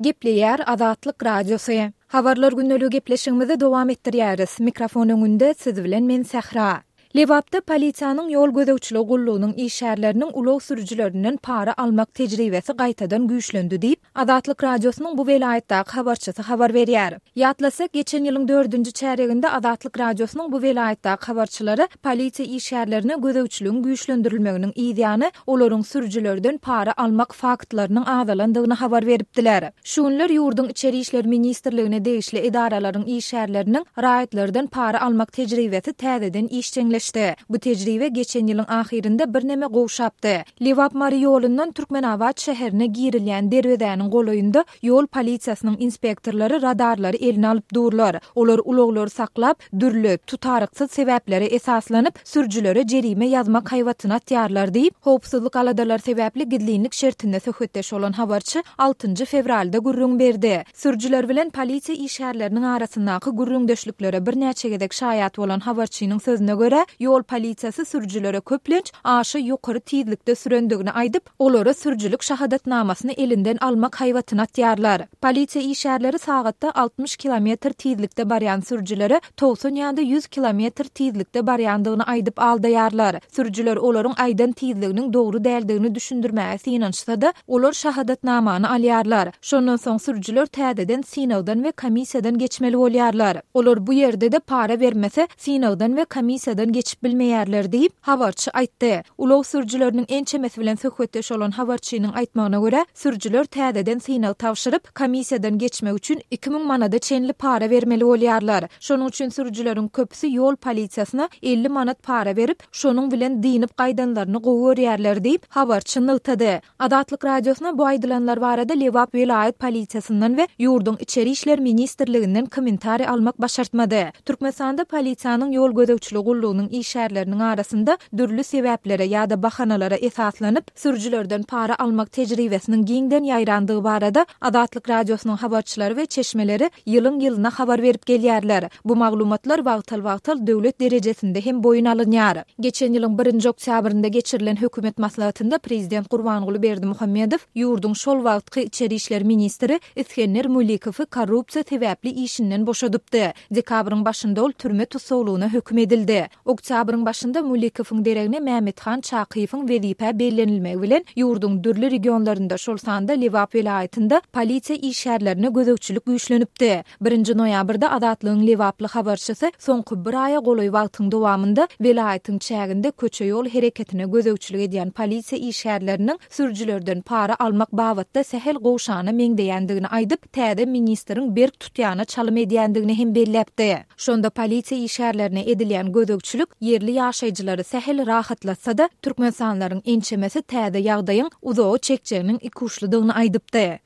Gepleýär Azatlyk Radiosy. Habarlar gündeligi gepleşigimizi dowam etdirýäris. Mikrofon öňünde siz bilen men Sähra. Lebapda polisiýanyň ýol gözegçiligi gullugynyň işgärleriniň ulag sürüjilerinden para almak tejribesi gaýtadan güýçlendi diýip, Azatlyk Radiosynyň bu welaýatdaky habarçysy habar berýär. Ýatlasak, geçen ýylyň dördünji çärýeginde Azatlyk Radiosynyň bu welaýatdaky habarçylary polisiýa işgärlerine gözegçiligiň güýçlendirilmeginiň yzýany olaryň sürüjilerden para almak faktlarynyň azalandygyny habar beripdiler. Şu günler ýurduň Içeri işler ministrligine degişli edaralaryň işgärleriniň raýatlardan para almak tejribesi täzeden işjeňleşdi. Bu tejribe geçen ýylyň ahyrynda birneme gowşapdy. Lebap-Mary ýolundan Türkmenabat şäherine girilýän derwezäniň golaýynda ýol polisiýasynyň inspektorlary radarlary eline alyp durlar. Olar ulaglary saklap, dürli, tutaryksyz sebäplere esaslanyp, sürüjilere jerime ýazmak haýbatyny atýarlar diýip, howpsuzlyk aladalary sebäpli gizlinlik şertinde söhbetdeş bolan habarçy altynjy fewralda gürrüň berdi. Sürüjiler bilen polisiýa işgärleriniň arasyndaky gürrüňdeşliklere birnäçe gezek şaýat bolan habarçynyň sözüne görä, ýol polisiýasy sürüjilere köplenç aşa ýokary tizlikde sürendigini aýdyp, olara sürüjilik şahadatnamasyny elinden almak haýbatyny atýarlar. Polisiýa işgärleri sagatda 60 kilometr tizlikde barýan sürüjilere 90 ýa-da 100 kilometr tizlikde barýandygyny aýdyp aldaýarlar. Sürüjiler olaryň aýdan tizliginiň dogry däldigini düşündirmäge synanyşsa-da, olar şahadatnamany alýarlar. Şondan soň sürüjiler täzeden synagdan we komissiýadan geçmeli bolýarlar. Olar bu ýerde-de para bermese, synagdan we komissiýadan geçip bilmeýärler diýip, habarçy aýtdy. Ulag sürüjileriniň ençemesi bilen söhbetdeş bolan habarçynyň aýtmagyna görä, sürüjiler täzeden synag tabşyryp, komissiýadan geçmek üçin 2000 manada çenli para bermeli bolýarlar. Şonuň üçin sürüjileriň köpüsi ýol polisiýasyna 50 manat para berip, şonuň bilen dynyp gaýdanlaryny gowy görýärler diýip, habarçy nygtady. Azatlyk Radiosyna bu aýdylanlar barada Lebap welaýat polisiýasyndan we ýurduň Içeri işler ministrliginden kommentariý almak başartmady. Türkmenistanda polisiýanyň ýol gözegçiligi gullugynyň işgärleriniň arasynda dürli sebäplere ýa-da bahanalara esaslanyp, sürüjilerden para almak tejribesiniň giňden ýaýrandygy barada Azatlyk Radiosynyň habarçylary we çeşmeleri ýylyň-ýylyna habar berip gelýärler. Bu maglumatlar wagtal-wagtal döwlet derejesinde hem boýun alynýar. Geçen ýylyň birinji oktýabrynda geçirilen hökümet maslahatynda prezident Gurbanguly Berdimuhamedow ýurduň şol wagtky içeri işler ministri Isgender Mulikowy korrupsiýa sebäpli işinden boşadypdy. Dekabryň başynda ol türme tussaglygyna höküm edildi. Oktýabryň başynda Mulikowyň deregine Mämmethan Çakyýewiň wezipä bellenilmegi bilen ýurduň dürli regionlarynda, şol sanda Lebap welaýatynda polisiýa işgärlerine gözegçilik güýçlenipdi. Birinji noýabrda Azatlygyň lebaply habarçysy soňky bir aýa golaý wagtyň dowamynda welaýatyň çäginde köçe-ýol hereketine gözegçilik edýän polisiýa işgärleriniň sürüjilerden para almak babatda sähel gowşana meňzeýändigini aýdyp, täze ministriň berk tutýana çalym edýändigini hem belläpdi. Şonda polisiýa işgärlerine edilýän gözegçilik ýerli ýaşaýjylary sähel rahatlatsa-da, türkmenistanlylaryň ençemesi täze ýagdaýyň uzaga çekjeginiň ikuçludygyny aýdypdy.